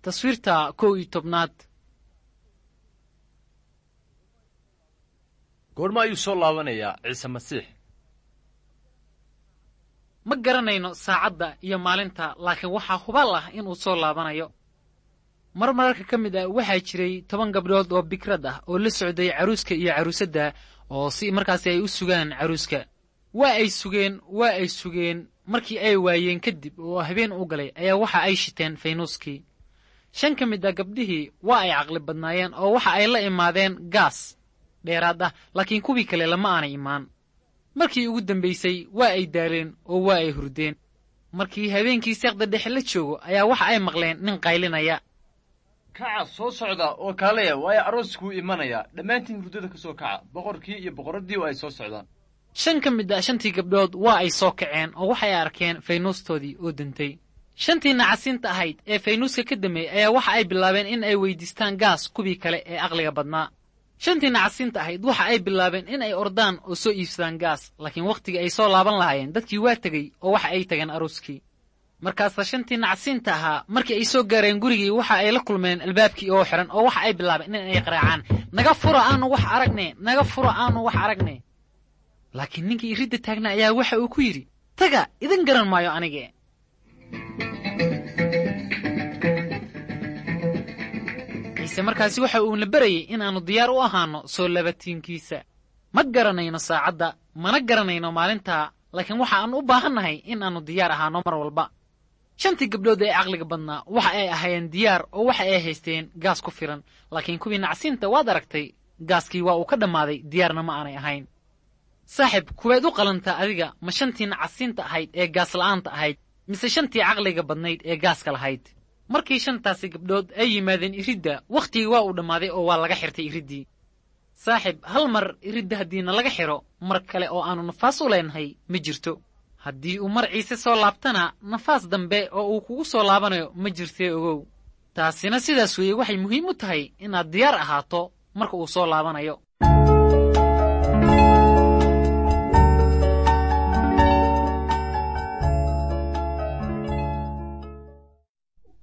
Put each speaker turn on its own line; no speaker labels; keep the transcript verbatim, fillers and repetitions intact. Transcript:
Taswiirta kow iyo tobnaad.
Goorma ayuu soo laabanayaa Ciise Masiix?
Ma garanayno saacadda iyo maalinta, laakiin waxaa hubaal ah inuu soo laabanayo. Mar mararka ka mid ah waxaa jiray toban gabdhood oo bikrad ah oo la socday caruuska iyo caruusadda, oo si markaasi ay u sugaan caruuska. Waa ay sugeen, waa ay sugeen, markii ay waayeen kadib oo habeen u galay ayaa waxa ay shiteen faynuuskii. Shan ka mid ah gabdhihii waa ay caqli badnaayeen oo waxa ay la imaadeen gaas dheeraad ah, laakiin kuwii kale lama aanay imaan. Markii ugu dambaysay waa ay daaleen oo waa ay hurdeen. Markii habeenkii seeqda dhexe la joogo ayaa waxa ay maqleen nin qaylinaya.
Kaca, soo socda oo kaalaya, waayo arooskuu imanayaa. Dhammaantiin hurdada ka soo kaca, boqorkii iyo boqorraddii oo ay soo socdaan.
Shan ka mid ah shantii gabdhood waa ay soo kaceen oo waxay arkeen faynuustoodii oo dantay. Shantii nacasiinta ahayd ee faynuuska ka dameeyey ayaa waxa ay bilaabeen in ay weydiistaan gaas kuwii kale ee aqliga badnaa. Shantii nacasiinta ahayd waxa ay bilaabeen in ay ordaan oo soo iibsadaan gaas, laakiin wakhtigii ay soo laaban lahaayeen dadkii waa tegey oo waxa ay tageen arooskii. Markaasa shantii nacasiinta ahaa markii ay soo gaareen gurigii waxa ay la kulmeen albaabkii oo xiran, oo waxa ay bilaabeen in ay qaraacaan, naga fura aanu wax aragne, naga fura aanu wax aragne. Laakiin ninkii iridda taagna ayaa waxa uu ku yidhi, taga, idin garan maayo anige. Ciise markaasi waxa uuna barayay in aanu diyaar u ahaano soo labatiinkiisa. Ma garanayno saacadda, mana garanayno maalinta, laakiin waxa aanu u baahannahay in aanu diyaar ahaano mar walba. Shantii gabdhood ee caqliga badnaa waxa ay ahaayeen diyaar oo waxa ay haysteen gaas ku filan, laakiin kuwii nacsiinta waad aragtay, gaaskii waa uu ka dhammaaday, diyaarna ma aanay ahayn. Saaxib, kuwaad u qalantaa adiga, ma shantii nacasiinta ahayd ee gaas la'aanta ahayd, mise shantii caqliga badnayd ee gaaska lahayd? Markii shantaasi gabdhood ay yimaadeen iridda, wakhtigii waa uu dhammaaday oo waa laga xirtay iriddii. Saaxib, hal mar iridda haddiina laga xidho, mar kale oo aannu nafaas u leenahay ma jirto. Haddii uu mar Ciise soo laabtana, nafaas dambe oo uu kugu soo laabanayo ma jirtee ogow. Taasina sidaas weeye waxay muhiim u tahay inaad diyaar ahaato marka uu soo laabanayo.